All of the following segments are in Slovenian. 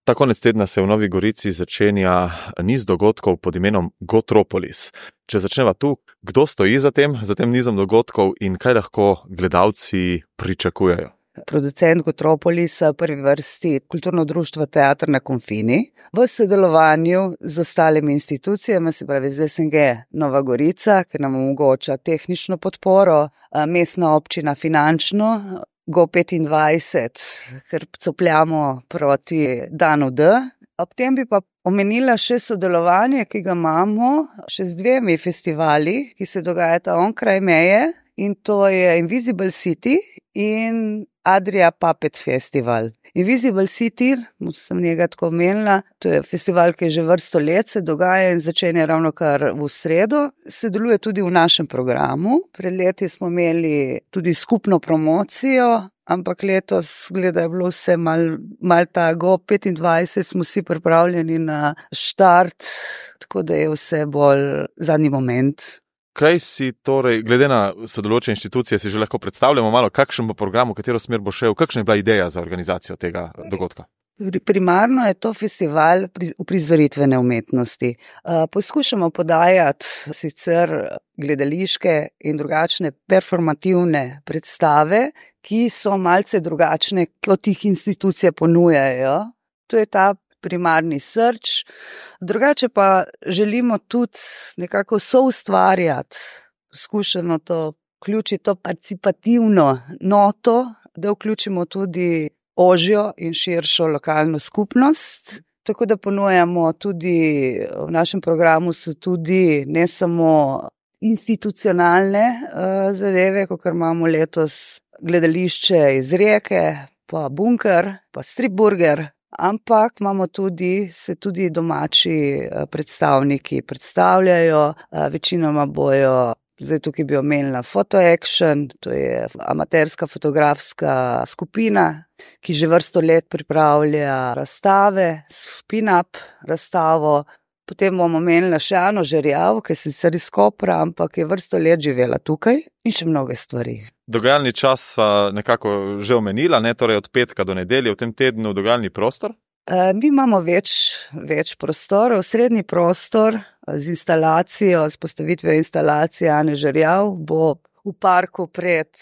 Ta konec tedna se v Novi Gorici začenja niz dogodkov pod imenom Gotropolis. Če začneva tu, kdo stoji za tem nizom dogodkov in kaj lahko gledalci pričakujejo? Producent Gotropolisa, prvi vrsti Kulturno društvo Teater na Konfini, v sodelovanju z ostalimi institucijami, se pravi z SNG Nova Gorica, ki nam omogoča tehnično podporo, mestna občina finančno, Go25, ker copljamo proti danu D. Ob tem bi pa omenila še sodelovanje, ki ga imamo še z dvemi festivali, ki se dogajata onkraj meje, in to je Invisible City in Adria Puppet Festival. Invisible City, sem njega tako omenila, to je festival, ki je že vrsto let se dogaja in začenja ravno kar v sredo. Sodeluje tudi v našem programu. Pred leti smo imeli tudi skupno promocijo, ampak letos, gleda, je bilo vse mal ta Go25, smo si pripravljeni na štart, tako da je vse bolj zadnji moment. Kaj si torej, glede na sodelujoče inštitucije, si že lahko predstavljamo malo, kakšen bo program, v katero smer bo šel, kakšna je bila ideja za organizacijo tega dogodka? Primarno je to festival uprizoritvene umetnosti. Poskušamo podajati sicer gledališke in drugačne performativne predstave, ki so malce drugačne, kot jih institucije ponujajo. To je ta primarni srč. Drugače pa želimo tudi nekako soustvarjati, poskušamo to vključiti, to participativno noto, da vključimo tudi ožjo in širšo lokalno skupnost. Tako da ponujamo tudi, v našem programu so tudi ne samo institucionalne zadeve, kot imamo letos gledališče iz Rijeke, pa Bunker, pa Stripburger, ampak imamo tudi, se tudi domači predstavniki predstavljajo, večinoma bojo, zdaj tukaj bi omenila Photo Action, to je amaterska fotografska skupina, ki že vrsto let pripravlja razstave, spin-up razstavo. Potem bomo omenila še Ano Žerjav, ki je sicer iz Kopra, ampak je vrsto let živela tukaj, in še mnoge stvari. Dogajalni čas sva nekako že omenila, torej od petka do nedelje v tem tednu dogajalni prostor? Mi imamo več prostorov. Srednji prostor z instalacijo, s postavitvijo instalacije Ane Žerjav bo v parku pred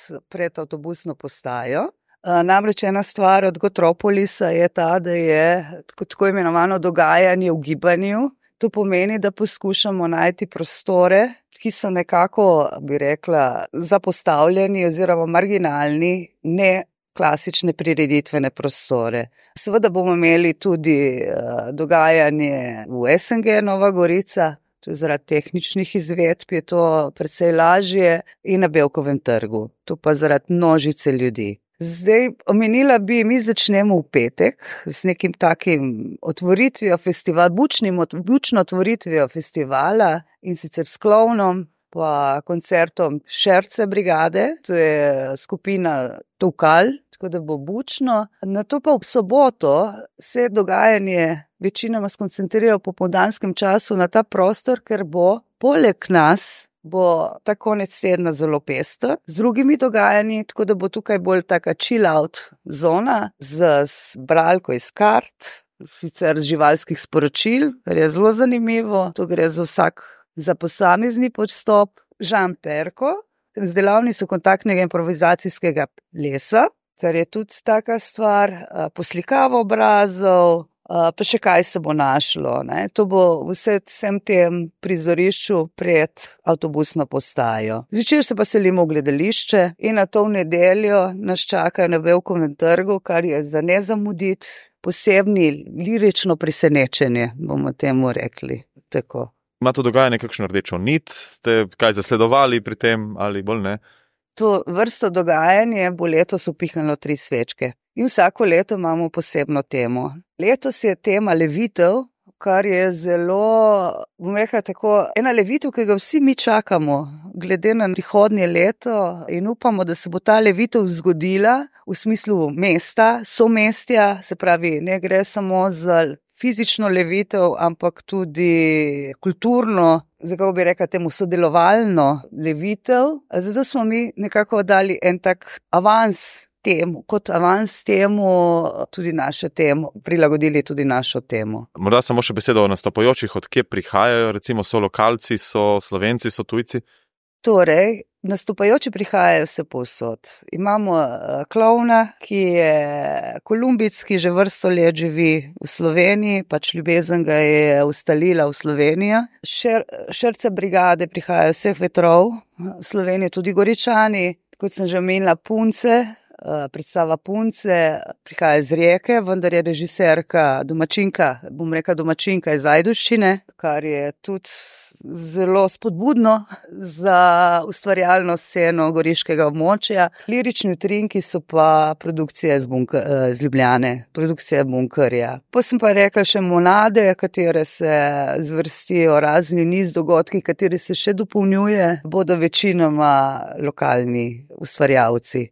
avtobusno postajo. Namreč ena stvar od Gotropolisa je ta, da je tako imenovano dogajanje v gibanju. To pomeni, da poskušamo najti prostore, ki so nekako, bi rekla, zapostavljeni oziroma marginalni, ne klasične prireditvene prostore. Seveda bomo imeli tudi dogajanje v SNG Nova Gorica, to je zaradi tehničnih izvedb je to precej lažje, in na Bevkovem trgu, to pa zaradi množice ljudi. Zdaj, omenila bi, mi začnemo v petek z nekim takim otvoritvijo festivala, bučno otvoritvijo festivala, in sicer s klovnom, pa koncertom Šerce brigade, to je skupina Tokal, tako da bo bučno. Nato pa v soboto se dogajanje večinoma skoncentrira v popoldanskem času na ta prostor, ker bo poleg nas bo ta konec tedna zelo pester z drugimi dogajanji, tako da bo tukaj bolj taka chill out zona z bralko iz kart, sicer z živalskih sporočil, kar je zelo zanimivo. To gre za posamezni podstop. Žan Perko, z delavnico kontaktnega improvizacijskega plesa, kar je tudi taka stvar, poslikavo obrazov, pa še kaj se bo našlo. To bo vsem tem prizorišču pred avtobusno postajo. Zvečer se pa selimo v gledališče in na to v nedeljo nas čakajo na Bevkovem trgu, kar je za ne zamuditi posebni lirično presenečenje, bomo temu rekli. Tako. Ima to dogajanje kakšno rdečo nit? Ste kaj zasledovali pri tem ali bolj ne? To vrsto dogajanje bo letos upihnilo 3 svečke. In vsako leto imamo posebno temo. Letos je tema levitev, kar je zelo, bom rekla tako, ena levitev, ki ga vsi mi čakamo, glede na prihodnje leto, in upamo, da se bo ta levitev zgodila v smislu mesta, somestja, se pravi, ne gre samo za fizično levitev, ampak tudi kulturno, kako bi rekla temu, sodelovalno levitev. Zato smo mi nekako dali en tak avans temu, kot avans temu, tudi našo temo, prilagodili tudi našo temo. Morda samo še besedo o nastopajočih, od kje prihajajo, recimo so lokalci, so Slovenci, so tujci? Torej, nastopajoči prihajajo vse povsod. Imamo klovna, ki je Kolumbic, ki že vrsto let živi v Sloveniji, pač ljubezen ga je ustalila v Slovenijo. Šerce brigade prihajajo vseh vetrov, Slovenije tudi Goričani, kot sem že omenila, Punce, predstava Punce prihaja iz Rijeke, vendar je režiserka domačinka iz Ajdovščine, kar je tudi zelo spodbudno za ustvarjalno sceno goriškega območja. Lirični utrinki so pa produkcija iz Ljubljane, produkcija Bunkerja. Pa sem pa rekla še monade, katere se zvrstijo razni niz dogodki, kateri se še dopolnjuje, bodo večinoma lokalni ustvarjalci.